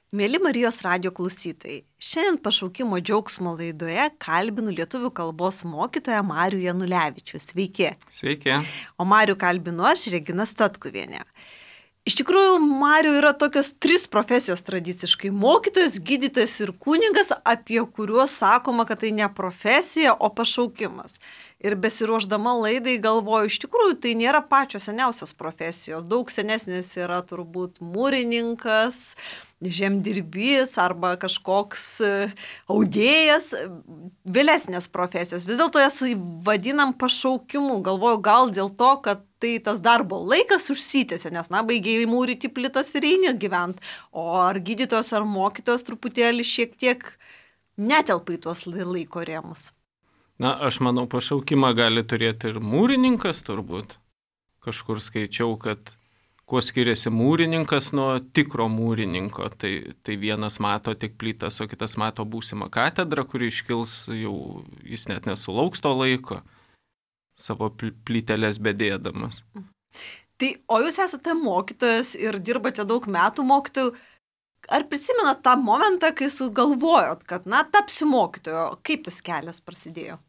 Mėly Marijos radijo klausytojai, šiandien pašaukimo džiaugsmo laidoje kalbinu lietuvių kalbos mokytoją Marių Janulevičių. Sveiki. Sveiki. O Marių kalbinu aš, Regina Statkuvienė. Iš tikrųjų, Marių yra tokios 3 profesijos tradiciškai - mokytojas, gydytojas ir kunigas, apie kuriuos sakoma, kad tai ne profesija, o pašaukimas. Ir besiruošdama laidai galvoju, iš tikrųjų tai nėra pačios seniausios profesijos. Daug senesnės yra turbūt mūrininkas, žemdirbys arba kažkoks audėjas, vėlesnės profesijos. Vis dėlto jas vadinam pašaukimu. Galvoju, gal dėl to, kad tai tas darbo laikas užsitęsė, nes, baigėjai mūryti plytas ir eini gyvent. O ar gydytojas ar mokytojas truputėlį šiek tiek netelpa į tuos laiko rėmus? Aš manau, pašaukimą gali turėti ir mūrininkas turbūt. Kažkur skaičiau, kad kuo skiriasi mūrininkas nuo tikro mūrininko. Tai vienas mato tik plytas, o kitas mato būsimą katedrą, kuri iškils, jau jis net nesulauks to laiko, savo plytelės bedėdamas. Tai, o jūs esate mokytojas ir dirbate daug metų mokytojų. Ar prisimenat tą momentą, kai sugalvojot, kad, tapsiu mokytoju? Kaip tas kelias prasidėjo?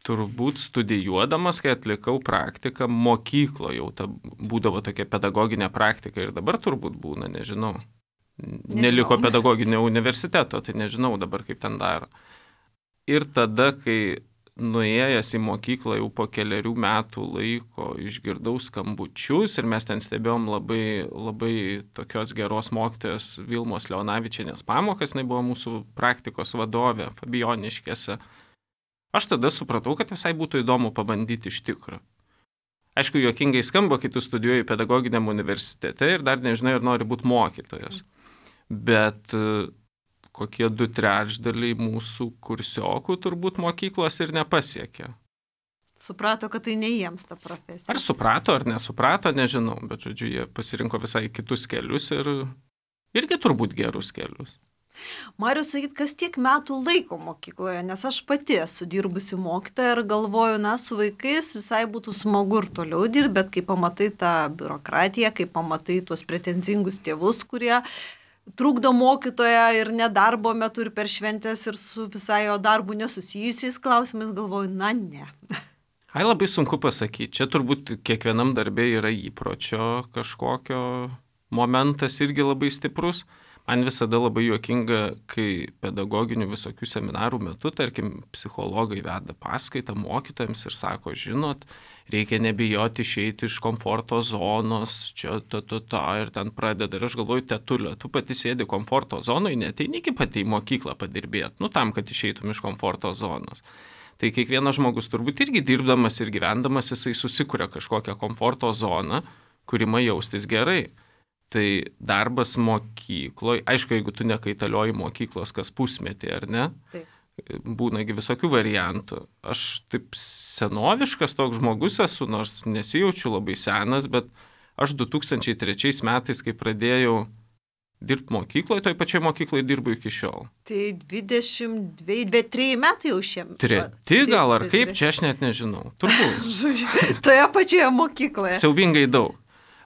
Turbūt studijuodamas, kai atlikau praktiką mokykloje, jau būdavo tokia pedagoginė praktika ir dabar turbūt būna, nežinau. Neliko pedagoginio universiteto, tai nežinau dabar kaip ten daro. Ir tada, kai nuėjęs į mokyklą jau po keliarių metų laiko išgirdau skambučius ir mes ten stebėjom labai tokios geros mokytojos Vilmos Leonavičienės pamokas, jinai buvo mūsų praktikos vadovė Fabijoniškėse. Aš tada supratau, kad visai būtų įdomu pabandyti iš tikro. Aišku, juokingai skamba, kai tu studijuoji pedagoginiam universitete ir dar nežinai, ar nori būti mokytojas. Bet kokie 2/3 mūsų kursiokų turbūt mokyklos ir nepasiekė. Suprato, kad tai ne jiems ta profesija. Ar suprato, ar nesuprato, nežinau, bet žodžiu, jie pasirinko visai kitus kelius ir irgi turbūt gerus kelius. Marius, sakyt, kas tiek metų laiko mokykloje, nes aš pati esu dirbusi mokytoja ir galvoju, su vaikais visai būtų smagu ir toliau dirbti, bet kai pamatai tą biurokratiją, kai pamatai tuos pretenzingus tėvus, kurie trukdo mokytoją ir nedarbo metu ir per šventės ir su visai jo darbu nesusijusiais klausimais, galvoju, ne. Labai sunku pasakyti, čia turbūt kiekvienam darbė yra įpročio kažkokio momentas irgi labai stiprus. Man visada labai juokinga, kai pedagoginių visokių seminarų metu, tarkim, psichologai veda paskaitą mokytojams ir sako, žinot, reikia nebijoti išeiti iš komforto zonos, čia ir ten pradeda. Ir aš galvoju, tetulio, tu pati sėdi komforto zonoje, neteini iki pati į mokyklą padirbėti, tam, kad išeitum iš komforto zonos. Tai kiekvienas žmogus turbūt irgi dirbdamas ir gyvendamas, jisai susikuria kažkokią komforto zoną, kuri man jaustis gerai. Tai darbas mokykloje, aišku, jeigu tu nekaitalioji mokyklos kas pusmetį, ar ne? Taip. Būnagi visokių variantų. Aš taip senoviškas toks žmogus esu, nors nesijaučiu labai senas, bet aš 2003 metais, kai pradėjau dirbti mokykloje, toj pačioj mokykloje dirbu iki šiol. Tai 23 metai jau šiemet. 3 gal ar kaip, čia aš net nežinau. Turbūt. Toje pačioje mokykloje. Siaubingai daug.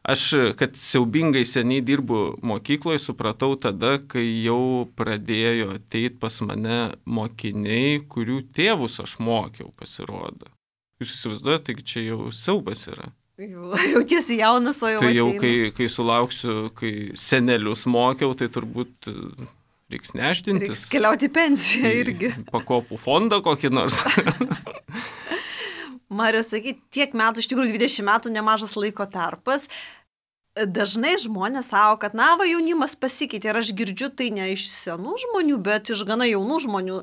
Aš, kad siaubingai seniai dirbu mokykloje, supratau tada, kai jau pradėjo ateiti pas mane mokiniai, kurių tėvus aš mokiau, pasirodo. Jūs įsivaizduojate, taigi čia jau siaubas yra. Jau tiesi jaunas, o jau tai jau, ateina. kai sulauksiu, kai senelius mokiau, tai turbūt reiks nešdintis. Reiks keliauti pensiją irgi. Pakopų fondą kokį nors. Marius, sakyt, tiek metų, iš tikrųjų 20 metų nemažas laiko tarpas. Dažnai žmonės sako, kad jaunimas pasikeitė ir aš girdžiu tai ne iš senų žmonių, bet iš gana jaunų žmonių.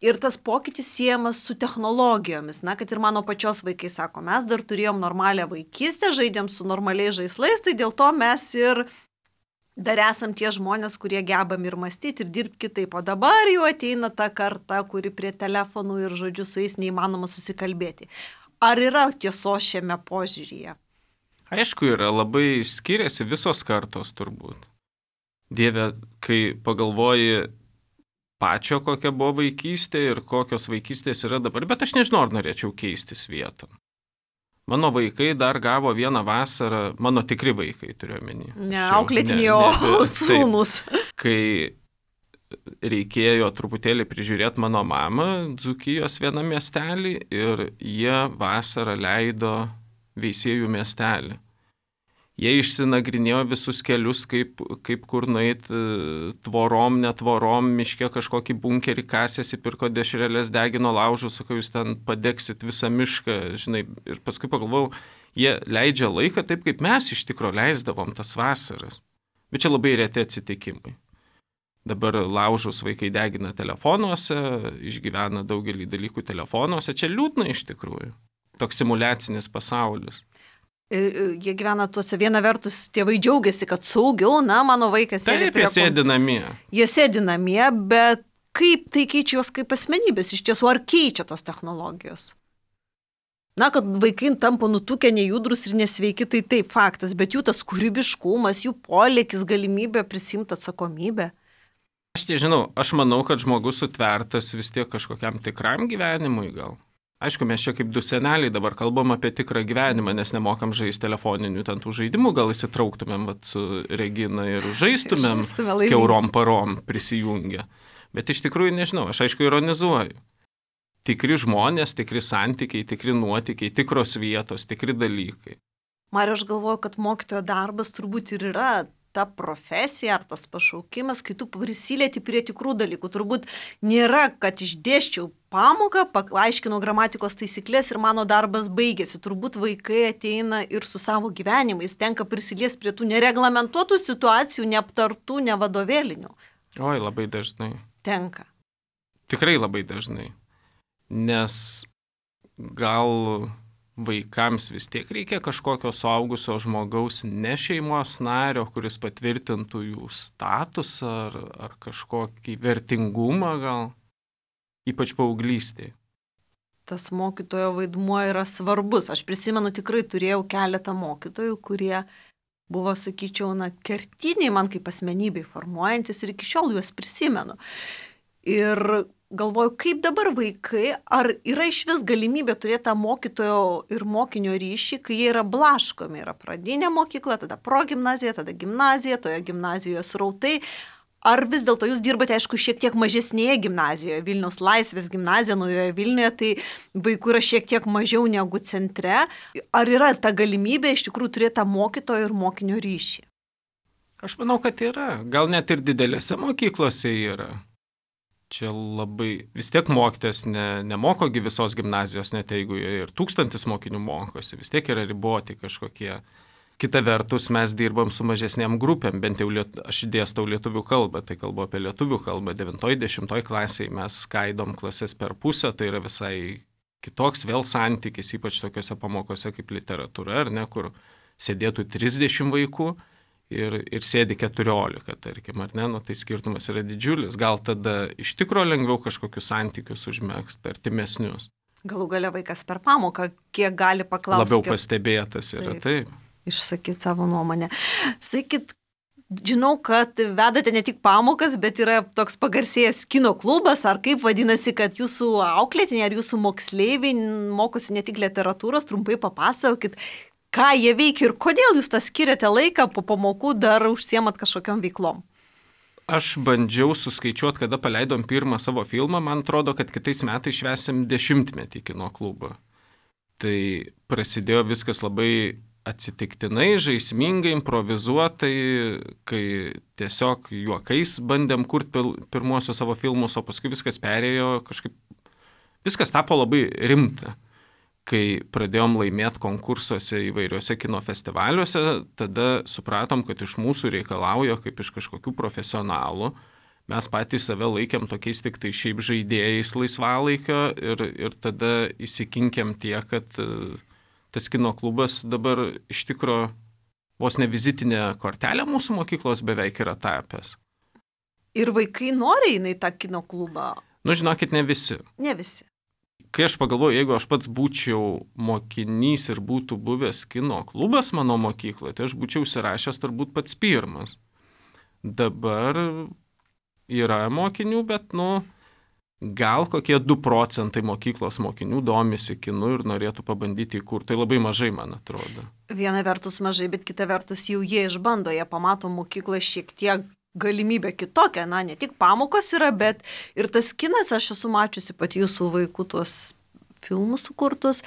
Ir tas pokytis siejamas su technologijomis. Kad ir mano pačios vaikai sako, mes dar turėjom normalią vaikystę, žaidėm su normaliais žaislais, tai dėl to mes ir dar esam tie žmonės, kurie gebam ir mąstyti, ir dirbti kitaip. O dabar jau ateina ta karta, kuri prie telefonų ir žodžiu su jais neįmanoma susikalbėti. Ar yra tiesos šiame požiūryje? Aišku, yra, labai skiriasi visos kartos turbūt. Dieve, kai pagalvoji pačio, kokia buvo vaikystė ir kokios vaikystės yra dabar, bet aš nežinau, ar norėčiau keistis vietom. Mano vaikai dar gavo vieną vasarą, mano tikri vaikai turiu omeny. Ne auklėtiniai, o sūnus. Kai reikėjo truputėlį prižiūrėti mano mamą Dzūkijos vieną miestelį ir jie vasarą leido Veisiejų miestelį. Jie išsinagrinėjo visus kelius, kaip kur nueit tvorom, netvorom, miške kažkokį bunkerį kasėsi, pirko dešrelės, degino laužų, sakau, jūs ten padegsit visą mišką, žinai, ir paskui pagalvojau, jie leidžia laiką taip, kaip mes iš tikro leisdavom tas vasaras. Bet čia labai reti atsitikimai. Dabar laužus vaikai degina telefonuose, išgyvena daugelį dalykų telefonuose, čia liūdna iš tikrųjų. Toks simuliacinis pasaulis. Jie gyvena tuose, viena vertus tėvai džiaugiasi, kad saugiau, mano vaikas sėdi prie kompiuterio. Taip, jie sėdi namie. Jie sėdi namie, bet kaip tai keičia juos kaip asmenybės? Iš tiesų, ar keičia tos technologijos? Kad vaikai tampa nutukę, nejudrus ir nesveiki, tai taip faktas, bet jų tas kūrybiškumas, jų polėkis, galimybė prisimti atsakomybę. Aš manau, kad žmogus sutvertas vis tiek kažkokiam tikram gyvenimui gal. Aišku, mes čia kaip du seneliai dabar kalbam apie tikrą gyvenimą, nes nemokam žaisti telefoninių ten tų žaidimų, gal įsitrauktumėm su Regina ir žaistumėm kiaurom parom prisijungę. Bet iš tikrųjų nežinau, aš aišku ironizuoju. Tikri žmonės, tikri santykiai, tikri nuotykiai, tikros vietos, tikri dalykai. Mariau, aš galvoju, kad mokytojo darbas turbūt ir yra ta profesija ar tas pašaukimas, kai tu prisilieti prie tikrų dalykų. Turbūt nėra, kad išdėščiau pamoką, paaiškinau gramatikos taisyklės ir mano darbas baigėsi. Turbūt vaikai ateina ir su savo gyvenimais, tenka prisiliesti prie tų nereglamentuotų situacijų, neaptartų, nevadovėlinių. Oi, labai dažnai. Tenka. Tikrai labai dažnai. Nes gal vaikams vis tiek reikia kažkokio suaugusio žmogaus, ne šeimos nario, kuris patvirtintų jų statusą ar kažkokį vertingumą gal, ypač paauglystėje. Tas mokytojo vaidmuo yra svarbus. Aš prisimenu, tikrai turėjau keletą mokytojų, kurie buvo, sakyčiau, kertiniai man kaip asmenybei formuojantis ir iki šiol juos prisimenu. Ir galvoju, kaip dabar vaikai, ar yra iš vis galimybė turėti tą mokytojo ir mokinio ryšį, kai jie yra blaškomi, yra pradinė mokykla, tada progimnazija, tada gimnazija, toje gimnazijoje srautai. Ar vis dėlto jūs dirbate, aišku, šiek tiek mažesnėje gimnazijoje, Vilniaus Laisvės gimnazija, Naujoje Vilniuje, tai vaikų yra šiek tiek mažiau negu centre. Ar yra ta galimybė iš tikrųjų turėti tą mokytojo ir mokinio ryšį? Aš manau, kad yra. Gal net ir didelėse mokyklose yra. Čia labai, vis tiek mokytojas nemokogi visos gimnazijos, net jeigu ir 1000 mokinių mokosi, vis tiek yra riboti kažkokie. Kita vertus, mes dirbam su mažesnėm grupėm, bent jau aš dėstau lietuvių kalbą, tai kalbu apie lietuvių kalbą, 9-10 klasiai mes skaidom klases per pusę, tai yra visai kitoks vėl santykis, ypač tokiuose pamokose kaip literatūra, ar ne, kur sėdėtų 30 vaikų. Ir sėdi 14, tarkim, ar ne, tai skirtumas yra didžiulis. Gal tada iš tikro lengviau kažkokius santykius užmegzti, artimesnius. Galų gale vaikas per pamoką, kiek gali paklausti. Labiau pastebėtas yra, taip. Išsakyti savo nuomonę. Sakyt, žinau, kad vedate ne tik pamokas, bet yra toks pagarsėjęs kino klubas, ar kaip vadinasi, kad jūsų auklėtiniai ar jūsų moksleiviai mokosi ne tik literatūros, trumpai papasakokit, ką jie veikia ir kodėl jūs tą skiriate laiką po pamokų, dar užsiemat kažkokiam veiklom? Aš bandžiau suskaičiuoti, kada paleidom pirmą savo filmą, man atrodo, kad kitais metais švęsim 10-metį kino klubą. Tai prasidėjo viskas labai atsitiktinai, žaismingai, improvizuotai, kai tiesiog juokais bandėm kurti pirmuosius savo filmus, o paskui viskas perėjo kažkaip, viskas tapo labai rimta. Kai pradėjom laimėti konkursuose įvairiuose kino festivaliuose, tada supratom, kad iš mūsų reikalauja kaip iš kažkokių profesionalų. Mes patys save laikėm tokiais tik tai šiaip žaidėjais laisvalaikio ir tada įsikinkėm tiek, kad tas kino klubas dabar iš tikro vos ne vizitinė kortelė mūsų mokyklos beveik yra tapęs. Ir vaikai nori eina į tą kino klubą? Žinokit, ne visi. Ne visi. Kai aš pagalvoju, jeigu aš pats būčiau mokinys ir būtų buvęs kino klubas mano mokykloje, tai aš būčiau užsirašęs turbūt pats pirmas. Dabar yra mokinių, bet, gal kokie 2 procentai mokyklos mokinių domisi kinu ir norėtų pabandyti įkurti. Tai labai mažai, man atrodo. Viena vertus mažai, bet kita vertus jau jie išbando, jie pamato mokyklą šiek tiek galimybę kitokią. Na, ne tik pamokos yra, bet ir tas kinas, aš esu mačiusi pati jūsų vaikų tuos filmus sukurtus.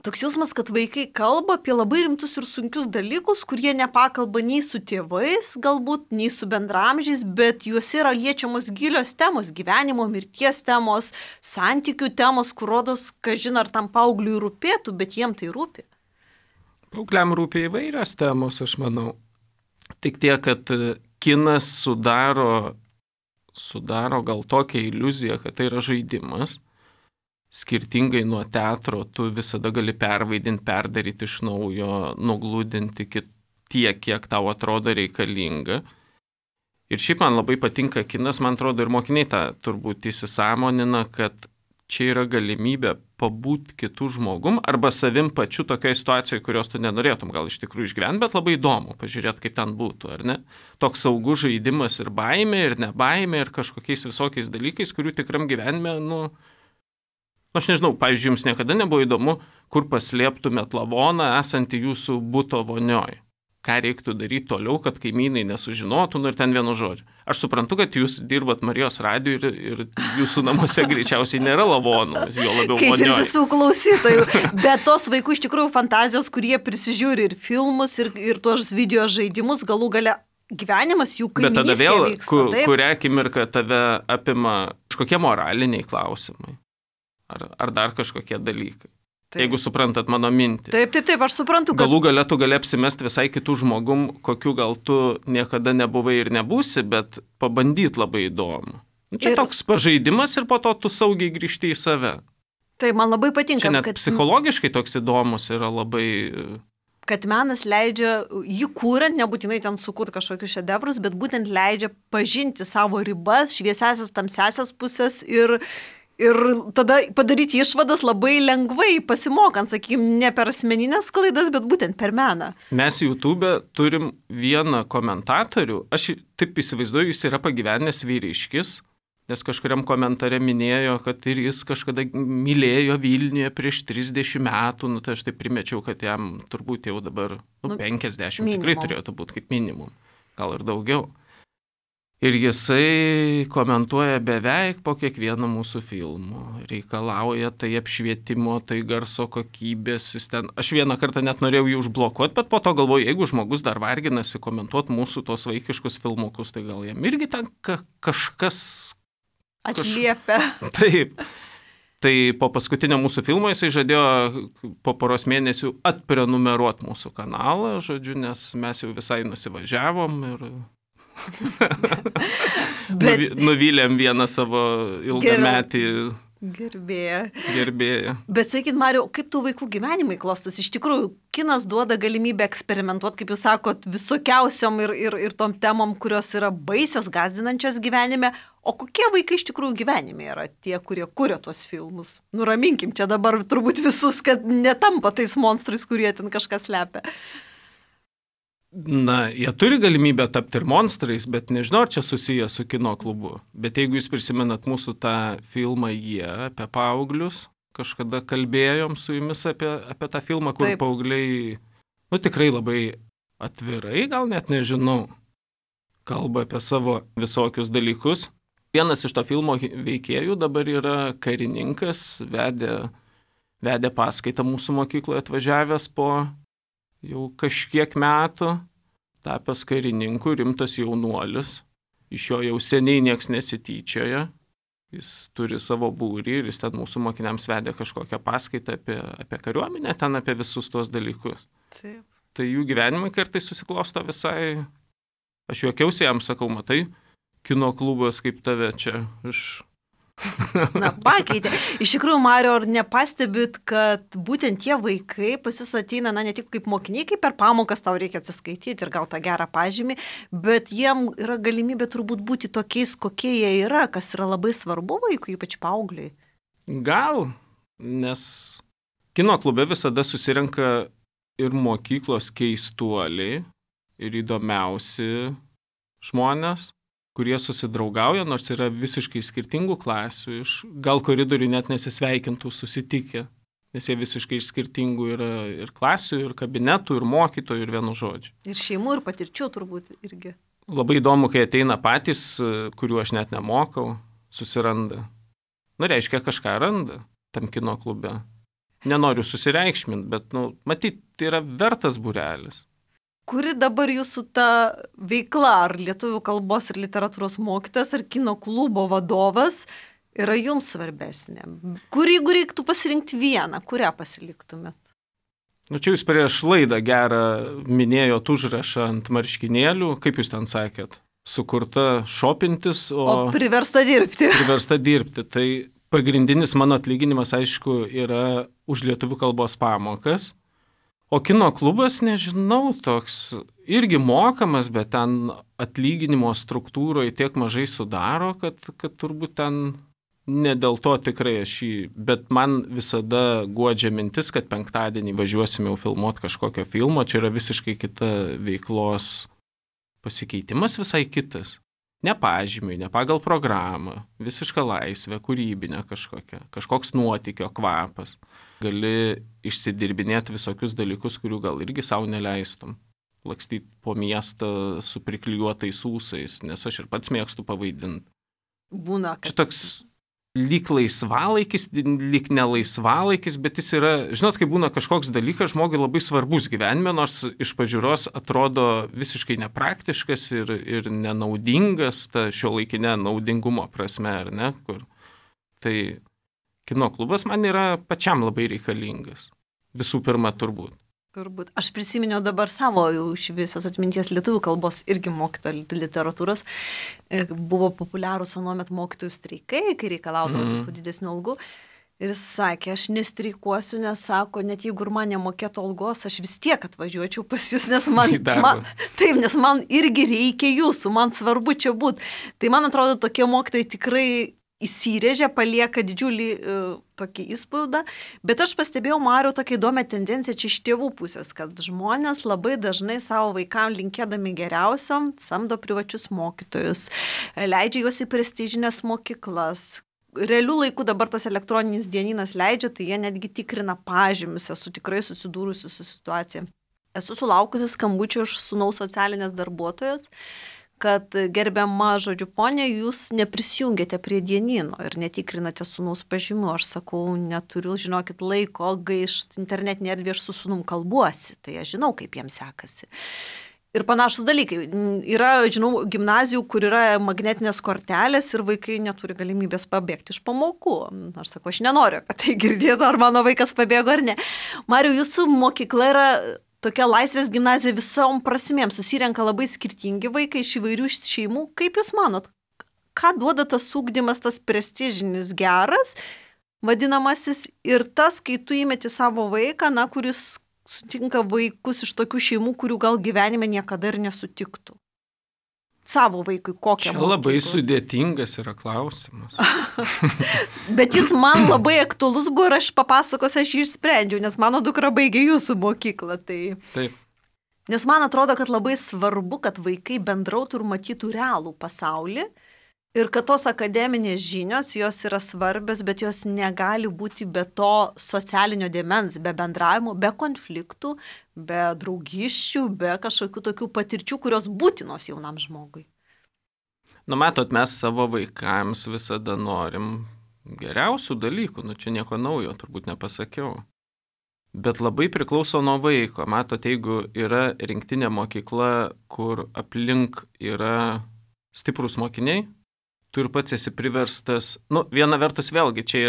Toks jausmas, kad vaikai kalba apie labai rimtus ir sunkius dalykus, kurie nepakalba nei su tėvais, galbūt, nei su bendramžiais, bet juose yra liečiamos gilios temos, gyvenimo, mirties temos, santykių temos, kur rodos, kažin ar tam paaugliui rūpėtų, bet jiem tai rūpi. Paaugliam rūpi įvairios temos, aš manau. Tik tiek, kad kinas sudaro gal tokią iliuziją, kad tai yra žaidimas. Skirtingai nuo teatro, tu visada gali pervaidinti, perdaryti iš naujo, nuglūdinti tiek, kiek tau atrodo reikalinga. Ir šiaip man labai patinka kinas, man atrodo, ir mokiniai tą turbūt įsisąmonina, kad čia yra galimybė pabūti kitų žmogum arba savim pačiu tokioje situacijoje, kurios tu nenorėtum gal iš tikrųjų išgyventi, bet labai įdomu pažiūrėti, kaip ten būtų, ar ne? Toks saugus žaidimas ir baimė, ir nebaimė, ir kažkokiais visokiais dalykais, kurių tikram gyvenime, aš nežinau, pavyzdžiui, jums niekada nebuvo įdomu, kur paslėptumėt lavoną esantį jūsų buto vonioj. Ką reiktų daryti toliau, kad kaimynai nesužinotų, ir ten vienu žodžiu. Aš suprantu, kad jūs dirbat Marijos radijui ir jūsų namuose greičiausiai nėra lavonų, jo labiau vonioj. Kaip ir visų klausytojų. Bet tos vaikų iš tikrųjų fantazijos, kurie prisižiūri ir filmus, ir tuos video žaidimus, galų gale gyvenimas jų kaiminystėje vyksta. Bet tada vėl, kurią akimirką tave apima kažkokie moraliniai klausimai. Ar dar kažkokie dalykai. Taip. Jeigu suprantat mano mintį. Taip, aš suprantu, kad... Galų gale tu gali apsimesti visai kitų žmogum, kokiu gal tu niekada nebuvai ir nebūsi, bet pabandyti labai įdomu. Čia toks pažaidimas ir po to tu saugiai grįžti į save. Tai man labai patinka. Čia net psichologiškai toks įdomus yra labai... Kad menas leidžia, jį kūrent, nebūtinai ten sukurti kažkokius šedevrus, bet būtent leidžia pažinti savo ribas, šviesiasias, tamsiasias pusės ir tada padaryti išvadas labai lengvai pasimokant, sakykime, ne per asmeninės klaidas, bet būtent per meną. Mes YouTube'e turim vieną komentatorių, aš taip įsivaizduoju, jis yra pagyvenęs vyriškis, nes kažkuriam komentare minėjo, kad ir jis kažkada mylėjo Vilniuje prieš 30 metų, tai aš taip primečiau, kad jam turbūt jau dabar 50 minimum. Tikrai turėtų būti kaip minimum, gal ir daugiau. Ir jisai komentuoja beveik po kiekvieno mūsų filmo. Reikalauja tai apšvietimo, tai garso kokybės. Aš vieną kartą net norėjau jį užblokuoti, bet po to galvoju, jeigu žmogus dar varginasi komentuoti mūsų tos vaikiškus filmukus, tai gal jam irgi ten kažkas... Atliepia. Taip. Tai po paskutinio mūsų filmo jisai žadėjo po poros mėnesių atprenumeruoti mūsų kanalą, žodžiu, nes mes jau visai nusivažiavom ir... Nuvylėm vieną savo ilgametį gerbėją. Bet sakyt, Mariau, kaip tų vaikų gyvenimai klostas? Iš tikrųjų, kinas duoda galimybę eksperimentuoti, kaip jūs sakot, visokiausiom ir tom temom, kurios yra baisios, gąsdinančios gyvenime. O kokie vaikai iš tikrųjų gyvenime yra tie, kurie kuria tuos filmus? Nuraminkim čia dabar turbūt visus, kad netampa tais monstrais, kurie ten kažką slepia. Na, jie turi galimybę tapti ir monstrais, bet nežinau, ar čia susiję su kino klubu. Bet jeigu jūs prisimenat mūsų tą filmą Jie apie paauglius, kažkada kalbėjom su jumis apie tą filmą, kur paaugliai, tikrai labai atvirai, gal net nežinau, kalba apie savo visokius dalykus. Vienas iš to filmo veikėjų dabar yra karininkas, vedė paskaitą mūsų mokykloje atvažiavęs po jau kažkiek metų, tapęs karininku, rimtas jaunuolis. Iš jo jau seniai nieks nesityčioja. Jis turi savo būrį ir jis ten mūsų mokiniams vedė kažkokią paskaitą apie kariuomenę, ten apie visus tuos dalykus. Taip. Tai jų gyvenimai kartais susiklosto visai... Aš juokiausi jam, sakau, matai, kino klubas kaip tave čia Na, pakeitė. Iš tikrųjų, Mariau, ar nepastebit, kad būtent tie vaikai pas jūs ateina, ne tik kaip mokiniai, kaip per pamokas tau reikia atsiskaityti ir gauti tą gerą pažymį, bet jiem yra galimybė turbūt būti tokiais, kokie jie yra, kas yra labai svarbu vaikui, ypač paaugliai. Gal, nes kino klube visada susirenka ir mokyklos keistuoliai, ir įdomiausi žmonės. kurie susidraugauja, nors yra visiškai skirtingų klasių, gal koridorių net nesisveikintų susitikę, nes jie visiškai iš skirtingų yra ir klasių, ir kabinetų, ir mokytojų, ir vienu žodžiu. Ir šeimų, ir patirčių turbūt irgi. Labai įdomu, kai ateina patys, kuriuo aš net nemokau, susiranda. Reiškia, kažką randa tam kino klube. Nenoriu susireikšminti, bet, matyt, tai yra vertas būrelis. Kuri dabar jūsų ta veikla, ar lietuvių kalbos ir literatūros mokytojas, ar kino klubo vadovas, yra jums svarbesnė? Jeigu reiktų pasirinkti vieną, kurią pasiliktumėt? Čia jūs prieš laidą gerą minėjot užrašą ant marškinėlių, kaip jūs ten sakėt, sukurta šopintis, o priversta dirbti. Priversta dirbti. Tai pagrindinis mano atlyginimas, aišku, yra už lietuvių kalbos pamokas. O kino klubas, nežinau, toks irgi mokamas, bet ten atlyginimo struktūroje tiek mažai sudaro, kad turbūt ten ne dėl to tikrai aš jį, bet man visada guodžia mintis, kad penktadienį važiuosime jau filmuoti kažkokio filmo, čia yra visiškai kita veiklos pasikeitimas, visai kitas. Ne pažymiui, ne pagal programą, visiška laisvė, kūrybinė kažkokia, kažkoks nuotykio kvapas. Gali išsidirbinėti visokius dalykus, kurių gal irgi savo neleistum. Lakstyti po miestą su priklijuotais ūsais, nes aš ir pats mėgstu pavaidinti. Būna, kad... Čia toks lyg laisvalaikis, lyg nelaisvalaikis, bet jis yra, žinot, kai būna kažkoks dalykas žmogui labai svarbus gyvenime, nors iš pažiūros atrodo visiškai nepraktiškas ir nenaudingas, ta šiuolaikinė naudingumo prasme, ar ne, kur. Tai kino klubas man yra pačiam labai reikalingas. Visų pirma, turbūt. Aš prisiminiau dabar savo iš visos atminties lietuvių kalbos irgi mokytojo literatūros. Buvo populiarūs anuomet mokytojų streikai, kai reikalaudavo tų didesnių algų. Ir jis sakė, aš nestreikuosiu, nes sako, net jeigu ir man nemokėtų algos, aš vis tiek atvažiuočiau pas jūs, nes nes man irgi reikia jūsų, man svarbu čia būti. Tai man atrodo, tokie mokytojai tikrai įsirėžia, palieka didžiulį tokį įspaudą, bet aš pastebėjau, Mariau, tokia įdomią tendenciją čia iš tėvų pusės, kad žmonės labai dažnai savo vaikams linkėdami geriausiom samdo privačius mokytojus, leidžia juos į prestižinės mokyklas. Realių laikų dabar tas elektroninis dieninas leidžia, tai jie netgi tikrina pažymius, esu tikrai susidūrusi su situacija. Esu sulaukusi skambučio iš sūnaus socialinės darbuotojos, kad gerbiama, žodžiu, ponė, jūs neprisijungėte prie dienino ir netikrinate sūnaus pažymių. Aš sakau, neturiu, žinokit, laiko gaišti internetinė erdvė, aš su sūnum kalbuosi, tai aš žinau, kaip jiems sekasi. Ir panašus dalykai. Yra, žinau, gimnazijų, kur yra magnetinės kortelės ir vaikai neturi galimybės pabėgti iš pamokų. Aš sakau, aš nenoriu apie tai girdėti, ar mano vaikas pabėgo ar ne. Mariau, jūsų mokykla yra tokia laisvės gimnazija visom prasmėm, susirenka labai skirtingi vaikai iš įvairių šeimų. Kaip jūs manot, ką duoda tas ugdymas, tas prestižinis geras, vadinamasis, ir tas, kai tu įmeti savo vaiką, kuris sutinka vaikus iš tokių šeimų, kurių gal gyvenime niekada ir nesutiktų? Savo vaikui kokią mokyklą? Čia labai sudėtingas yra klausimas. Bet jis man labai aktualus buvo ir aš papasakosiu, aš jį išsprendžiau, nes mano dukra baigė jūsų mokyklą. Tai... Taip. Nes man atrodo, kad labai svarbu, kad vaikai bendrautų ir matytų realų pasaulį ir kad tos akademinės žinios, jos yra svarbios, bet jos negali būti be to socialinio dėmens, be bendravimo, be konfliktų, be draugiščių, be kažkokių tokių patirčių, kurios būtinos jaunam žmogui. Matot, mes savo vaikams visada norim geriausių dalykų, čia nieko naujo turbūt nepasakiau. Bet labai priklauso nuo vaiko. Matot, jeigu yra rinktinė mokykla, kur aplink yra stiprūs mokiniai, tu ir pats esi priverstas, viena vertus vėlgi, čia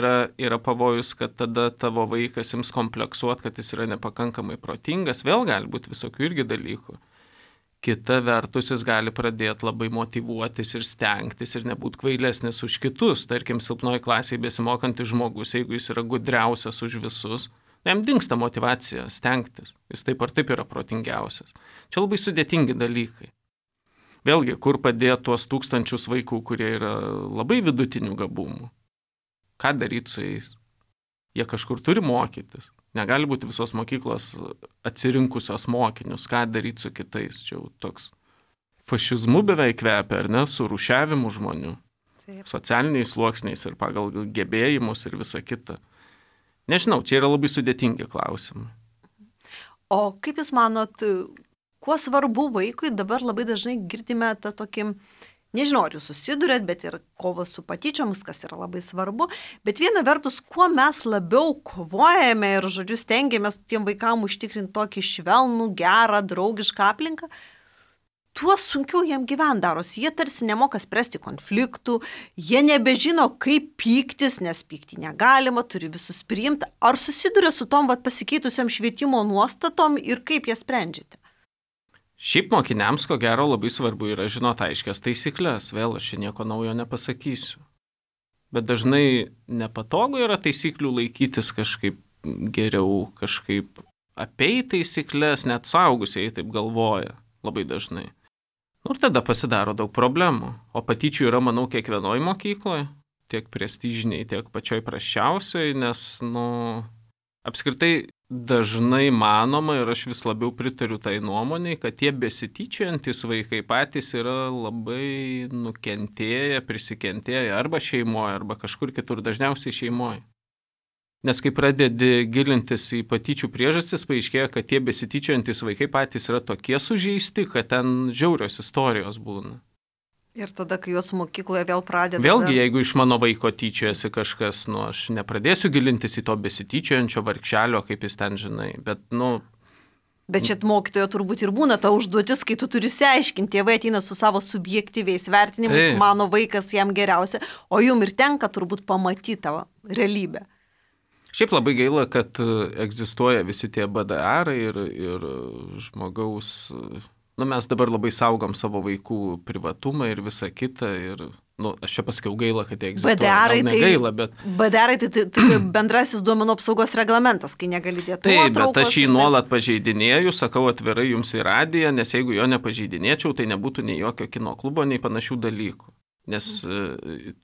yra pavojus, kad tada tavo vaikas ims kompleksuoti, kad jis yra nepakankamai protingas, vėl gali būti visokių irgi dalykų. Kita vertus, jis gali pradėti labai motyvuotis ir stengtis ir nebūti kvailesnis už kitus. Tarkim, silpnoji klasėje besimokantis žmogus, jeigu jis yra gudriausias už visus, jam dingsta motyvacija stengtis. Jis taip ar taip yra protingiausias. Čia labai sudėtingi dalykai. Vėlgi, kur padėti tuos tūkstančius vaikų, kurie yra labai vidutinių gabumų? Ką daryti su jais? Jie kažkur turi mokytis. Negali būti visos mokyklos atsirinkusios mokinius. Ką daryti su kitais? Čia jau toks fašizmu beveik kvepia, ar ne, su rūšiavimu žmonių, Taip. socialiniais sluoksniais ir pagal gebėjimus ir visa kita. Nežinau, čia yra labai sudėtingi klausimai. O kaip Jūs manot, kuo svarbu vaikui, dabar labai dažnai girdime tą tokį, nežinau, ar Jūs susidurėt, bet ir kovos su patyčiomis, kas yra labai svarbu, bet viena vertus, kuo mes labiau kovojame ir, žodžiu, stengiamės tiem vaikam užtikrinti tokį švelnų, gerą, draugišką aplinką, tuo sunkiau jiem gyvent darosi. Jie tarsi nemoka spręsti konfliktų, jie nebežino, kaip pyktis, nes pykti negalima, turi visus priimti. Ar susiduria su tom pasikeitusiam švietimo nuostatom ir kaip jas sprendžiate? Šiaip mokiniams, ko gero, labai svarbu yra žinoti aiškias taisyklės. Vėl aš čia nieko naujo nepasakysiu. Bet dažnai nepatogu yra taisyklių laikytis kažkaip geriau, kažkaip apeiti taisyklės, net suaugusieji taip galvoja labai dažnai. Ir tada pasidaro daug problemų. O patyčių yra, manau, kiekvienoje mokykloje, tiek prestižiniai, tiek pačioj prasčiausiai, nes, apskritai dažnai manoma ir aš vis labiau pritariu tai nuomonei, kad tie besityčiantis vaikai patys yra labai nukentėję, prisikentėję arba šeimoje, arba kažkur kitur, dažniausiai šeimoje. Nes kai pradedi gilintis į patyčių priežastis, paaiškėja, kad tie besityčiantis vaikai patys yra tokie sužeisti, kad ten žiaurios istorijos būna. Ir tada, kai juos mokykloje vėl pradeda... Vėlgi, jeigu iš mano vaiko tyčiojasi kažkas, aš nepradėsiu gilintis į to besityčiojančio vargšelio, kaip jis ten žinai, bet, Bet čia mokytojo turbūt ir būna ta užduotis, kai tu turi išsiaiškinti, tėvai ateina su savo subjektyviais vertinimais, mano vaikas jam geriausia, o jum ir tenka turbūt pamatyti tavo realybę. Šiaip labai gaila, kad egzistuoja visi tie BDR ir žmogaus... Mes dabar labai saugom savo vaikų privatumą ir visą kitą ir, aš čia pasakiau gaila, kad jie egzistuoja. BDR-ai tai bendrasis duomenų apsaugos reglamentas, kai negali dėti nuotraukos. Taip, bet aš jį nuolat pažeidinėju, sakau atvirai jums į radiją, nes jeigu jo nepažeidinėčiau, tai nebūtų nei jokio kino klubo, nei panašių dalykų. Nes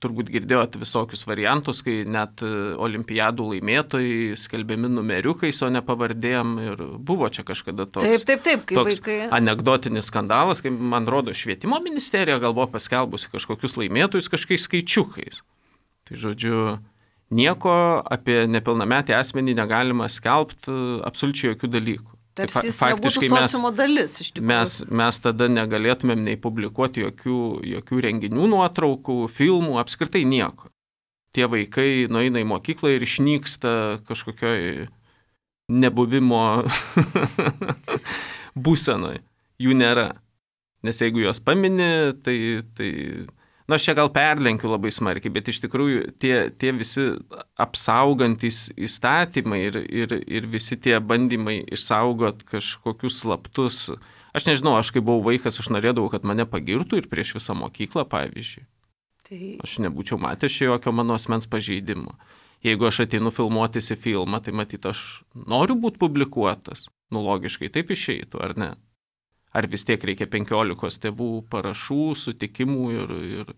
turbūt girdėjot visokius variantus, kai net olimpiadų laimėtojai skelbiami numeriukais, o ne pavardėm ir buvo čia kažkada toks vaikai... anekdotinis skandalas, kai man rodo švietimo ministerija gal buvo paskelbusi kažkokius laimėtojus kažkokiais skaičiukais. Tai žodžiu, nieko apie nepilnametį asmenį negalima skelbti absoliučiai jokių dalykų. Tarsi jis nebūtų sociumo dalis, iš tikrųjų. Mes tada negalėtumėm nei publikuoti jokių renginių nuotraukų, filmų, apskritai nieko. Tie vaikai nueina į mokyklą ir išnyksta kažkokioj nebuvimo būsenoj. Jų nėra. Nes jeigu jos pamini, tai aš čia gal perlenkiu labai smarkiai, bet iš tikrųjų tie visi apsaugantys įstatymai ir visi tie bandymai išsaugot kažkokius slaptus. Aš nežinau, aš kai buvau vaikas, aš norėdavau, kad mane pagirtų ir prieš visą mokyklą, pavyzdžiui. Aš nebūčiau matęs čia jokio mano asmens pažeidimo. Jeigu aš ateinu filmuotis į filmą, tai matyt, aš noriu būti publikuotas. Logiškai taip išeitų, ar ne? Ar vis tiek reikia 15 tėvų parašų, sutikimų ir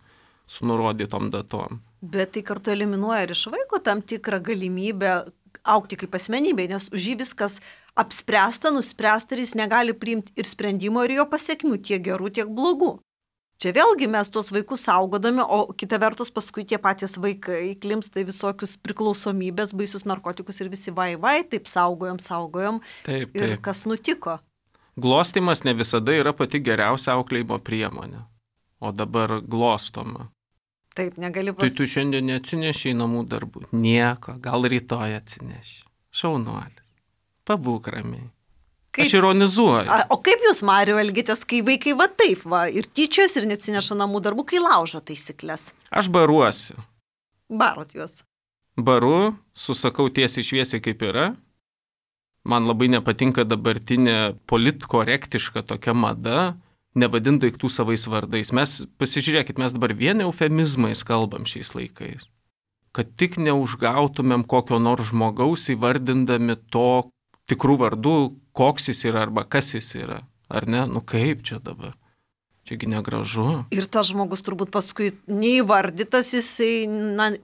su nurodytom datom. Bet tai kartu eliminuoja ir iš vaiko tam tikrą galimybę augti kaip asmenybė, nes už jį viskas apspręsta, nuspręsta ir jis negali priimti ir sprendimo ir jo pasiekmių, tiek gerų, tiek blogų. Čia vėlgi mes tuos vaikus saugodami, o kita vertus paskui tie patys vaikai klimpsta į visokius priklausomybės, baisius narkotikus ir visi vai, taip saugojom. Taip. Ir kas nutiko? Glostymas ne visada yra pati geriausia auklėjimo priemonė, o dabar glostoma. Taip, negali Tai tu šiandien neatsineši į namų darbų. Nieko, gal rytoj atsineši. Šaunuolis. Pabūk ramiai. Aš ironizuoju. O kaip jūs, Mariau, elgitės, kai vaikai ir tyčios ir neatsineša namų darbų, kai laužo taisyklės? Aš baruosiu. Barot juos? Baru, susakau tiesiai šviesiai kaip yra. Man labai nepatinka dabartinė politkorektiška tokia mada, nevadint daiktų savais vardais. Pasižiūrėkit, mes dabar vien eufemizmais kalbam šiais laikais. Kad tik neužgautumėm kokio nors žmogaus įvardindami to tikrų vardų, koks jis yra arba kas jis yra. Ar ne? Kaip čia dabar? Čiagi negražu. Ir tas žmogus turbūt paskui neįvardytas, jisai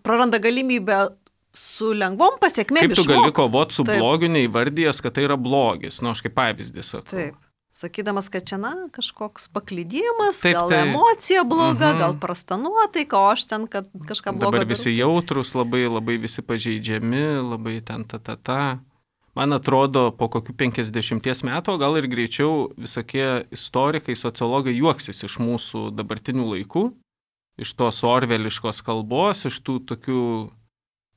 praranda galimybę su lengvom pasiekmėm. Kaip tu gali kovoti su blogiu, neįvardijęs, kad tai yra blogis? Aš kaip pavyzdį sakau. Taip. sakydamas, kad čia, kažkoks paklydimas, gal emocija bloga, gal prasta nuotaika, o aš ten, kad kažką blogo. Dabar visi jautrus, labai, labai visi pažeidžiami, labai ten ta. Man atrodo, po kokių 50 metų, gal ir greičiau visokie istorikai, sociologai juoksis iš mūsų dabartinių laikų, iš tos orveliškos kalbos, iš tų tokių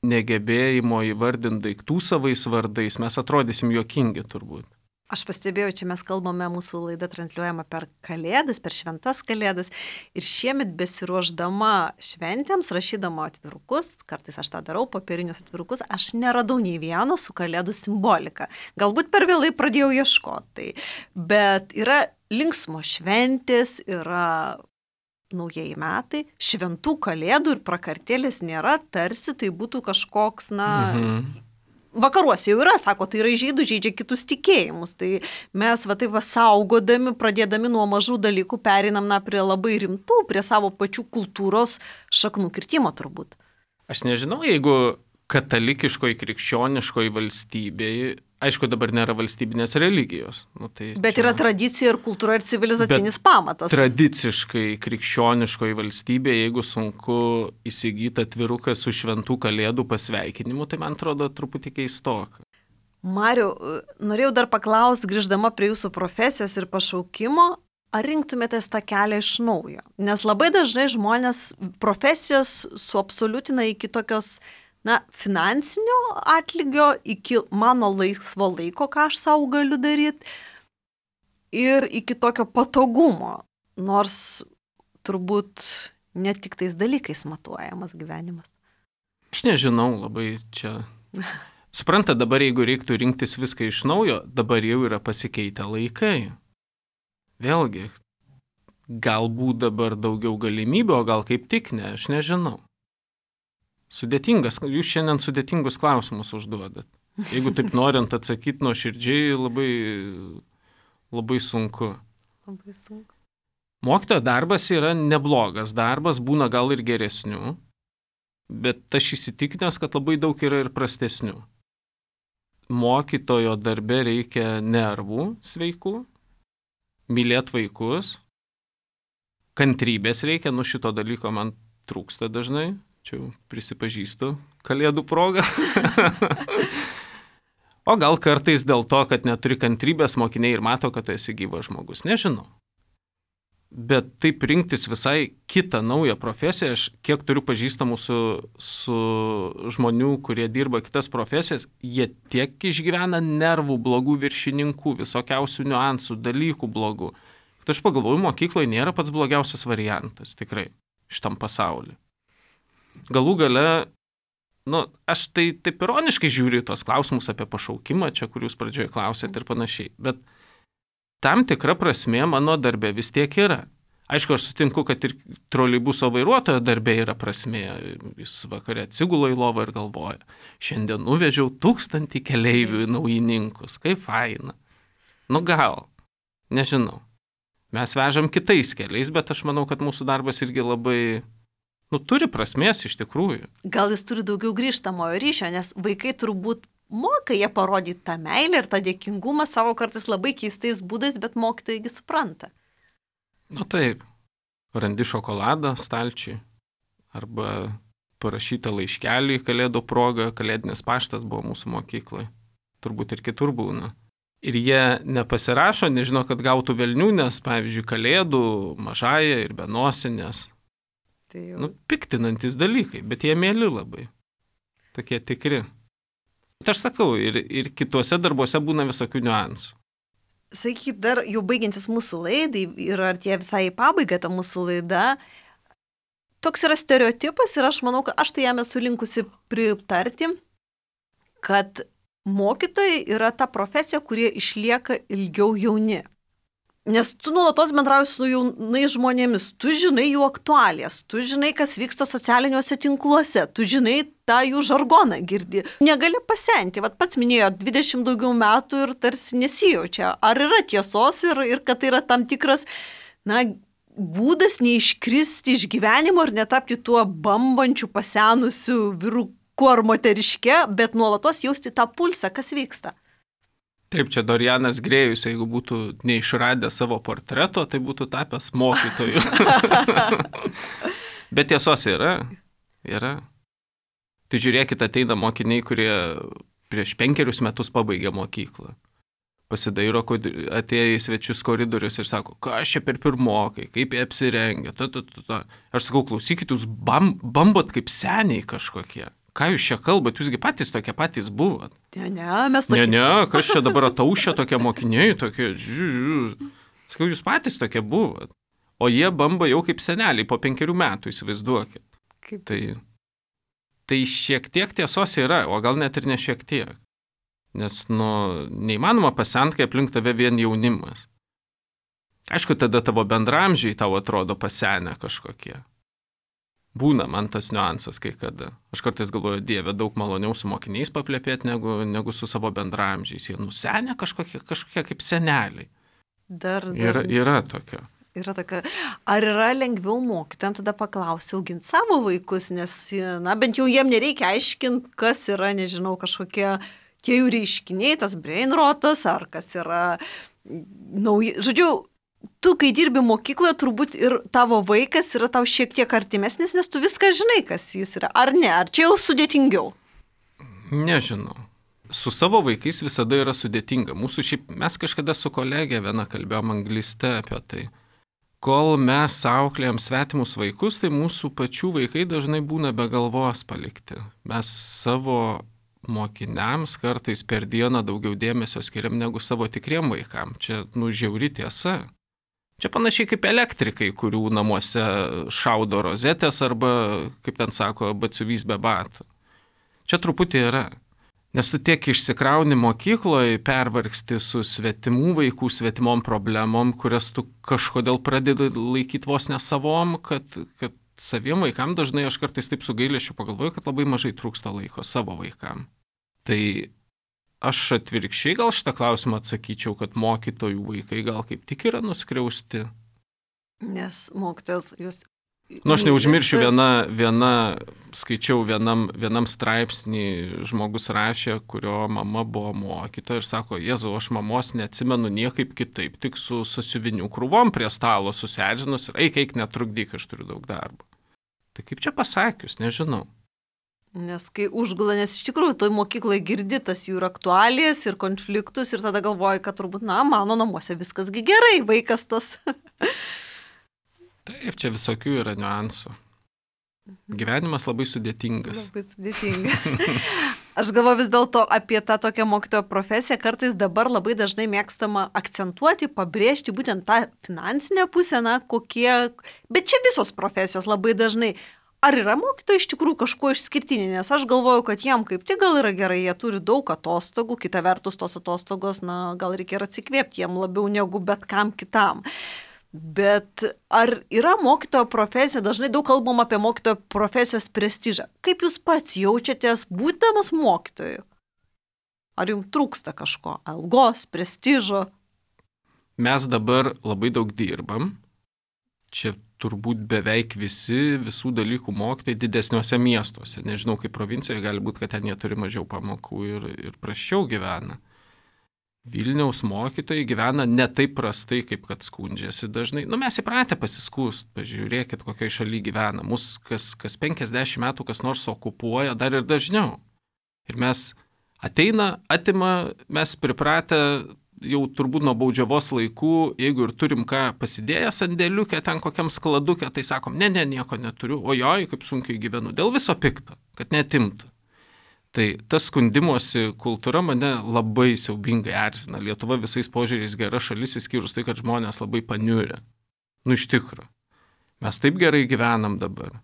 negebėjimo įvardinti daiktų savais vardais, mes atrodysim juokingi turbūt. Aš pastebėjau, čia mes kalbame, mūsų laida transliuojama per Kalėdas, per šventas Kalėdas ir šiemet besiruošdama šventėms, rašydama atvirukus, kartais aš tą darau, popierinius atvirukus, aš neradau nei vieno su Kalėdų simbolika. Galbūt per vėlai pradėjau ieškoti, bet yra linksmo šventės, yra naujieji metai, šventų Kalėdų ir prakartėlės nėra, tarsi tai būtų kažkoks, Vakaruose jau yra, sako, tai yra žydų žaidžia kitus tikėjimus. Tai mes taip saugodami, pradėdami nuo mažų dalykų, pereinam prie labai rimtų, prie savo pačių kultūros šaknų kirtimo turbūt. Aš nežinau, jeigu katalikiškoji, krikščioniškoji valstybėje, aišku, dabar nėra valstybinės religijos. Bet yra tradicija ir kultūra ir civilizacinis pamatas. Tradiciškai krikščioniškoji valstybė, jeigu sunku įsigyti atviruką su šventų Kalėdų pasveikinimu, tai man atrodo truputį keistoka. Mariau, norėjau dar paklausti, grįždama prie jūsų profesijos ir pašaukimo, ar rinktumėtės tą kelią iš naujo? Nes labai dažnai žmonės profesijos suabsoliutina iki tokios finansinio atlygio, iki mano laisvo laiko, ką aš savo galiu daryti, ir iki tokio patogumo, nors turbūt ne tik tais dalykais matuojamas gyvenimas. Aš nežinau, labai čia. Supranta, dabar jeigu reiktų rinktis viską iš naujo, dabar jau yra pasikeitę laikai. Vėlgi, galbūt dabar daugiau galimybių, o gal kaip tik ne, aš nežinau. Sudėtingas, jūs šiandien sudėtingus klausimus užduodat. Jeigu taip norint atsakyti nuoširdžiai, labai, labai sunku. Labai sunku. Mokytojo darbas yra neblogas darbas, būna gal ir geresnių, bet aš įsitikinęs, kad labai daug yra ir prastesnių. Mokytojo darbe reikia nervų sveikų, mylėt vaikus, kantrybės reikia, šito dalyko man trūksta dažnai. Čia prisipažįstu Kalėdų progą. O gal kartais dėl to, kad neturi kantrybės, mokiniai ir mato, kad tu esi gyvas žmogus. Nežinau. Bet taip rinktis visai kitą naują profesiją, aš kiek turiu pažįstamų su žmonių, kurie dirba kitas profesijas, jie tiek išgyvena nervų blogų viršininkų, visokiausių niuansų, dalykų blogų. Tai aš pagalvoju, mokykloje nėra pats blogiausias variantas, tikrai, šitam pasauliu. Galų gale, aš tai taip ironiškai žiūriu tos klausimus apie pašaukimą, čia kur jūs pradžioje klausėt ir panašiai, bet tam tikra prasmė mano darbe vis tiek yra. Aišku, aš sutinku, kad ir troleibuso vairuotojo darbe yra prasmė, jis vakare atsigula į lovą ir galvoja, šiandien nuvežiau 1000 keleivių į naujininkus, kaip faina. Gal, nežinau, mes vežam kitais keliais, bet aš manau, kad mūsų darbas irgi labai... turi prasmės iš tikrųjų. Gal jis turi daugiau grįžtamojo ryšio, nes vaikai turbūt moka jie parodyti tą meilę ir tą dėkingumą savo kartais labai keistais būdais, bet mokytojai supranta. Taip, randi šokoladą stalčiui arba parašytą laiškelį Kalėdų progą, Kalėdinis paštas buvo mūsų mokyklai, turbūt ir kitur būna. Ir jie nepasirašo, nežino, kad gautų velnių, nes, pavyzdžiui, Kalėdų, mažąją ir benosinės. Piktinantis dalykai, bet jie mėly labai. Tokie tikri. Tai aš sakau, ir kituose darbuose būna visokių niuansų. Sakyk, dar jau baigiantis mūsų laidai ir artėja visai į pabaigą ta mūsų laida, toks yra stereotipas ir aš manau, kad aš tai jam esu linkusi pritarti, kad mokytojai yra ta profesija, kurie išlieka ilgiau jauni. Nes tu nuolatos bendrauji su jaunais žmonėmis, tu žinai jų aktualijas, tu žinai, kas vyksta socialiniuose tinkluose, tu žinai tą jų žargoną girdi. Negali pasenti, pats minėjo 20 daugiau metų ir tarsi nesijaučia. Ar yra tiesos ir kad tai yra tam tikras, būdas neiškristi iš gyvenimo ir netapti tuo bambančiu, pasenusiu vyruku ar moteriške, bet nuolatos jausti tą pulsą, kas vyksta. Taip, čia Dorianas Grėjus, jeigu būtų neišradę savo portreto, tai būtų tapęs mokytoju. Bet tiesos yra. Tai žiūrėkit, ateina mokiniai, kurie prieš 5 metus pabaigė mokyklą. Pasidairo, atėjo į svečius koridorius ir sako, ką aš čia per pirmokai, kaip jie apsirengia. Aš sakau, klausykit, jūs bambot kaip seniai kažkokie. Ką jūs čia kalbat, jūsgi patys tokie patys buvot. Mes tokie. Ne, kas čia dabar ataušia tokie mokiniai, tokie, Sakau, jūs patys tokie buvot. O jie bamba jau kaip seneliai po 5 metų, įsivaizduokit. Tai šiek tiek tiesos yra, o gal net ir ne šiek tiek. Nes, neįmanoma pasent, kai aplink tave vien jaunimas. Aišku, tada tavo bendramžiai tau atrodo pasenę kažkokie. Būna man tas niuansas kai kada. Aš kartais galvoju, Dieve, daug maloniau su mokiniais paplepėti, negu su savo bendramžiais. Jie nusenę kažkokie kaip seneliai. Yra tokio. Ar yra lengviau mokytojams tada paklausti auginti savo vaikus, nes, bent jau jiem nereikia aiškinti, kas yra, nežinau, kažkokie tie jų reiškiniai, tas brainrotas, ar kas yra nauji. Žodžiu, tu, kai dirbi mokykloje, turbūt ir tavo vaikas yra tau šiek tiek artimesnis, nes tu viską žinai, kas jis yra. Ar ne? Ar čia jau sudėtingiau? Nežinau. Su savo vaikais visada yra sudėtinga. Mes kažkada su kolegė viena kalbėjom angliste apie tai. Kol mes auklėjam svetimus vaikus, tai mūsų pačių vaikai dažnai būna be galvos palikti. Mes savo mokiniams kartais per dieną daugiau dėmesio skiriam negu savo tikriem vaikam. Čia, žiauri tiesa. Čia panašiai kaip elektrikai, kurių namuose šaudo rozetės arba, kaip ten sako, batsiuvys be batų. Čia truputį yra. Nes tu tiek išsikrauni mokykloje, pervargsti su svetimų vaikų, svetimom problemom, kurias tu kažkodėl pradedi laikyti vos ne savom, kad saviem vaikam dažnai aš kartais taip su gailesčiu pagalvoju, kad labai mažai trūksta laiko savo vaikam. Tai aš atvirkščiai gal šitą klausimą atsakyčiau, kad mokytojų vaikai gal kaip tik yra nuskriausti. Nes mokytojas jūs... Aš neužmiršiu, skaičiau vienam straipsnį, žmogus rašė, kurio mama buvo mokytoja ir sako, Jėzau, aš mamos neatsimenu niekaip kitaip, tik su sasiuvinių krūvom prie stalo susierzinus ir eik, netrukdyk, aš turiu daug darbo. Tai kaip čia pasakius, nežinau. Nes kai užgula, nes iš tikrųjų toj mokykloje girdi tas jų ir aktualijas, ir konfliktus, ir tada galvoji, kad turbūt, mano namuose viskasgi gerai, vaikas tas... Taip, čia visokių yra niuansų. Gyvenimas labai sudėtingas. Aš galvoju vis dėlto apie tą tokią mokytojo profesiją, kartais dabar labai dažnai mėgstama akcentuoti, pabrėžti būtent tą finansinę pusę, bet čia visos profesijos labai dažnai. Ar yra mokytojai iš tikrųjų kažkuo išskirtiniai, nes aš galvoju, kad jiem kaip tik gal yra gerai, jie turi daug atostogų, kita vertus tos atostogos, gal reikia ir atsikvėpti jiem labiau negu bet kam kitam. Bet ar yra mokytojo profesija, dažnai daug kalbam apie mokytojo profesijos prestižą. Kaip jūs pats jaučiatės būdamas mokytoju? Ar jums trūksta kažko? Algos, prestižo? Mes dabar labai daug dirbam. Čia turbūt beveik visų dalykų mokytojai didesniuose miestuose. Nežinau, kaip provincijoje gali būti, kad ten jie turi mažiau pamokų ir prasčiau gyvena. Vilniaus mokytojai gyvena ne taip prastai, kaip kad skundžiasi dažnai. Mes įpratę pasiskūst, pažiūrėkit, kokioje šalyje gyvena. Mus kas 50 metų kas nors okupuoja, dar ir dažniau. Ir mes atima, mes pripratę jau turbūt nuo baudžiavos laikų, jeigu ir turim ką pasidėję sandėliukę, ten kokiam skladukę, tai sakom, ne, nieko neturiu, ojoj, kaip sunkiai gyvenu, dėl viso pikto, kad netimtų. Tai tas skundimosi kultūra mane labai siaubingai erzina. Lietuva visais požiūriais gera šalis, išskyrus tai, kad žmonės labai paniurė. Iš tikrųjų. Mes taip gerai gyvenam dabar.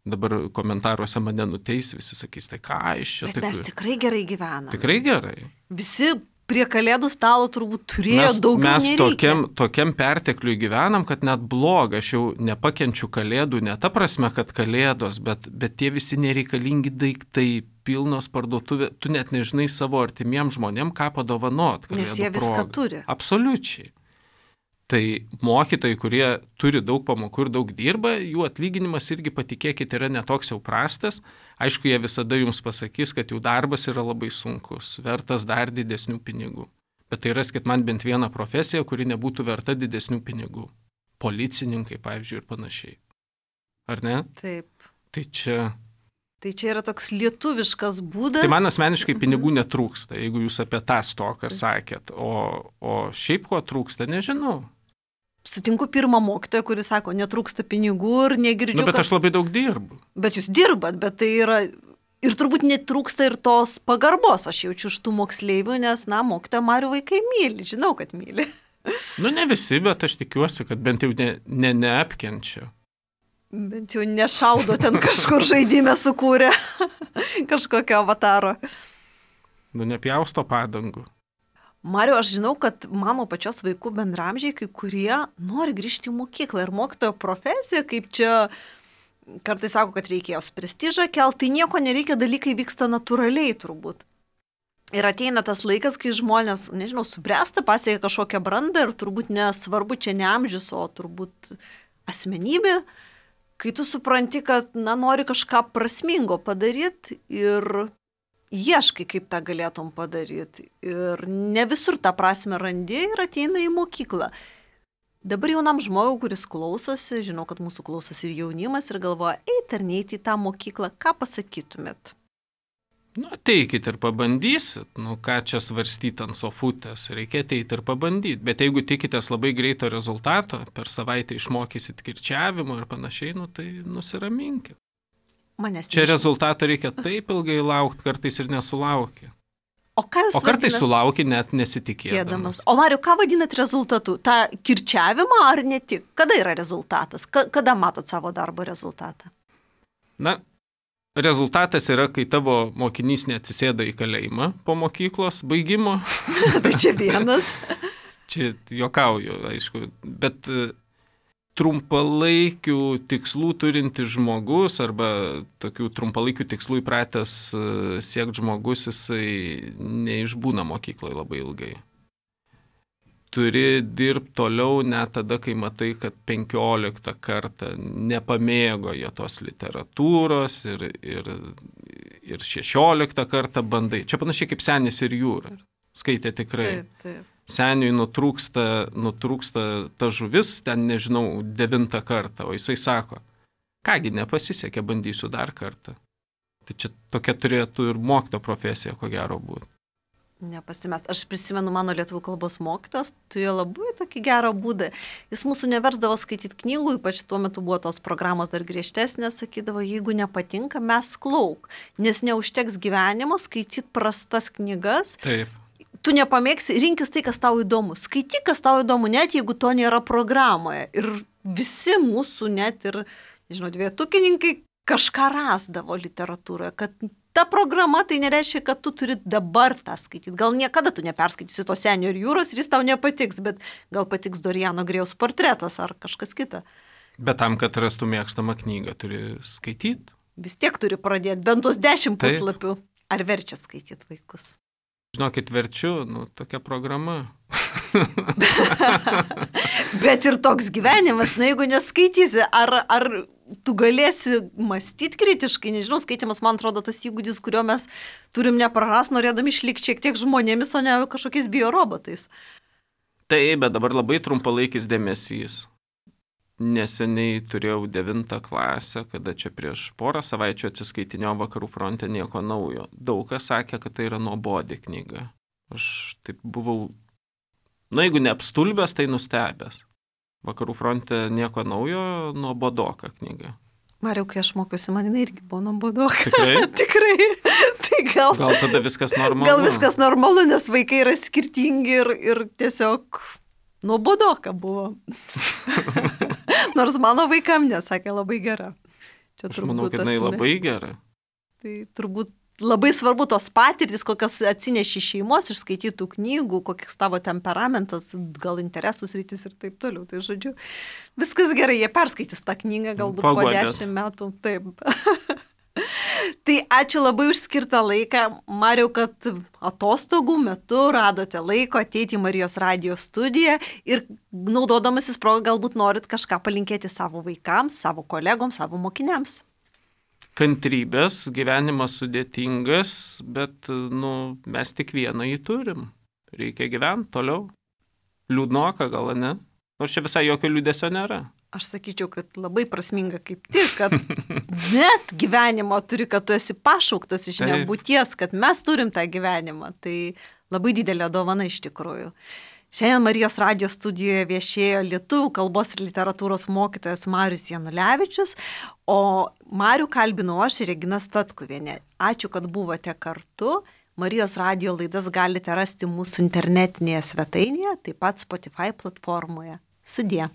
Dabar komentaruose mane nuteis, visi sakys, tai ką iš čia. Bet mes tikrai gerai gyvenam. Tikrai gerai. Visi prie kalėdų stalo turbūt turėjo daugiau nereikia. Mes tokiam pertekliui gyvenam, kad net bloga, aš jau nepakenčiu kalėdų, ne ta prasme, kad kalėdos, bet tie visi nereikalingi daiktai, pilnos parduotuvė, tu net nežinai savo artimiem žmonėm, ką padovanot kalėdų proga. Nes jie viską turi. Absoliučiai. Tai mokytojai, kurie turi daug pamokų ir daug dirba, jų atlyginimas irgi, patikėkit, yra netoks jau prastas. Aišku, jie visada jums pasakys, kad jų darbas yra labai sunkus, vertas dar didesnių pinigų. Bet tai raskit man bent vieną profesiją, kuri nebūtų verta didesnių pinigų. Policininkai, pavyzdžiui, ir panašiai. Ar ne? Taip. Tai čia yra toks lietuviškas būdas. Tai man asmeniškai pinigų netrūksta, jeigu jūs apie tą stoką sakėt. O šiaip ko trūksta, nežinau. Sutinku pirmą mokytoją, kuris sako, netrūksta pinigų ir negirdžiu. Bet aš labai daug dirbu. Bet jūs dirbat, bet tai yra... Ir turbūt netrūksta ir tos pagarbos, aš jaučiu iš tų moksleivių, nes, mokytoją Marių vaikai myli, žinau, kad myli. Ne visi, bet aš tikiuosi, kad bent jau neapkenčia. Bent jau nešaudo ten kažkur žaidime sukūrė kažkokio avataro. Nepjausto padangų. Mariau, aš žinau, kad mano pačios vaikų bendramžiai, kai kurie nori grįžti į mokyklą ir mokytojo profesija, kaip čia... Kartais sako, kad reikėjo prestižą kelt, tai nieko nereikia, dalykai vyksta natūraliai turbūt. Ir ateina tas laikas, kai žmonės, subręsta, pasiekia kažkokią brandą ir turbūt nesvarbu čia ne amžius, o turbūt asmenybė, kai tu supranti, kad, nori kažką prasmingo padaryti ir ieškai, kaip tą galėtum padaryti. Ir ne visur tą prasme randi ir ateina į mokyklą. Dabar jaunam žmogui, kuris klausosi, žinau, kad mūsų klausosi ir jaunimas ir galvoja, eiti ar neiti į tą mokyklą, ką pasakytumėt? Ateikit ir pabandysit, ką čia svarstyti ant sofutės, reikia ateiti ir pabandyti, bet jeigu tikitės labai greito rezultato, per savaitę išmokysit kirčiavimo ir panašiai, tai nusiraminkit. Čia rezultato reikia taip ilgai laukti, kartais ir nesulaukia. O kartais sulauki net nesitikėdamas. O Mariau, ką vadinat rezultatu? Ta kirčiavimą ar ne tik? Kada yra rezultatas? Kada matot savo darbo rezultatą? Rezultatas yra, kai tavo mokinys neatsisėda į kalėjimą po mokyklos baigimo. Tai čia vienas. Čia juokauju, aišku, bet trumpalaikių tikslų turintis žmogus arba tokių trumpalaikių tikslų įpratęs siekti žmogus, jisai neišbūna mokykloje labai ilgai. Turi dirbti toliau net tada, kai matai, kad 15 kartą nepamėgo jie tos literatūros ir 16 kartą bandai. Čia panašiai kaip Senis ir jūra. Skaitė tikrai. Taip. Seniui nutrūksta ta žuvis, ten nežinau, 9 kartą, o jisai sako, kągi nepasisekė, bandysiu dar kartą. Tai čia tokia turėtų ir mokytojo profesija, ko gero būtų. Nepasimest. Aš prisimenu mano lietuvių kalbos mokytojas, turėjo labai tokį gerą būdą. Jis mūsų neversdavo skaityti knygų, ypač tuo metu buvo tos programos dar griežtesnės, sakydavo, jeigu nepatinka, mes klauk, nes neužteks gyvenimo skaityti prastas knygas. Taip. Tu nepamėgsi, rinkis tai, kas tau įdomu. Skaityk, kas tau įdomu, net jeigu to nėra programoje. Ir visi mūsų net ir, dvietukininkai kažką rasdavo literatūroje, kad ta programa tai nereiškia, kad tu turi dabar tą skaityti. Gal niekada tu neperskaitysi to Senio ir jūros ir jis tau nepatiks, bet gal patiks Doriano Grėjaus portretas ar kažkas kita. Bet tam, kad rastų mėgstamą knygą, turi skaityti. Vis tiek turi pradėti bent tos 10 puslapių. Ar verčia skaityti vaikus? Žinokit, verčiu, tokia programa. Bet ir toks gyvenimas, jeigu neskaitysi, ar tu galėsi mąstyti kritiškai, nežinau, skaitimas, man atrodo, tas įgūdis, kurio mes turim neprarast, norėdami išlikti šiek tiek žmonėmis, o ne kažkokiais biorobotais. Taip, bet dabar labai trumpalaikis dėmesys. Neseniai turėjau 9 klasę, kada čia prieš porą savaičių atsiskaitinėjau Vakarų fronte nieko naujo. Daug kas sakė, kad tai yra nuobodi knyga. Aš taip buvau, jeigu neapstulbęs, tai nustebęs. Vakarų fronte nieko naujo, nuobodoka knyga. Mariau, kai aš mokiausi, man irgi buvo nuobodoka. Tikrai? Tikrai. Tai gal tada viskas normalu? Gal viskas normalu, nes vaikai yra skirtingi ir tiesiog nuobodoka buvo. Nors mano vaikam nesakė labai gera. Čia aš manau, kad jinai labai gera. Tai turbūt labai svarbu tos patirtis, kokios atsineši šeimos iš skaitytų knygų, kokias tavo temperamentas, gal interesus rytis ir taip toliau. Tai žodžiu, viskas gerai, jie perskaitys tą knygą galbūt po 10 metų. Taip. Tai ačiū labai už skirtą laiką. Mariau, kad atostogų metu radote laiko ateiti į Marijos radijo studiją ir naudodamasis progą galbūt norit kažką palinkėti savo vaikams, savo kolegoms, savo mokiniams. Kantrybės, gyvenimas sudėtingas, bet mes tik vieną jį turim. reikia gyventi toliau. Liūdnoka gal, ne? Nors čia visai jokio liūdesio nėra. Aš sakyčiau, kad labai prasminga kaip tik, kad net gyvenimo turi, kad tu esi pašauktas iš nebūties, kad mes turim tą gyvenimą. Tai labai didelė dovana iš tikrųjų. Šiandien Marijos radijo studijoje viešėjo lietuvių kalbos ir literatūros mokytojas Marius Janulevičius, o Marių kalbinau aš, Regina Statkuvienė. Ačiū, kad buvote kartu. Marijos radijo laidas galite rasti mūsų internetinėje svetainėje, taip pat Spotify platformoje. Sudie.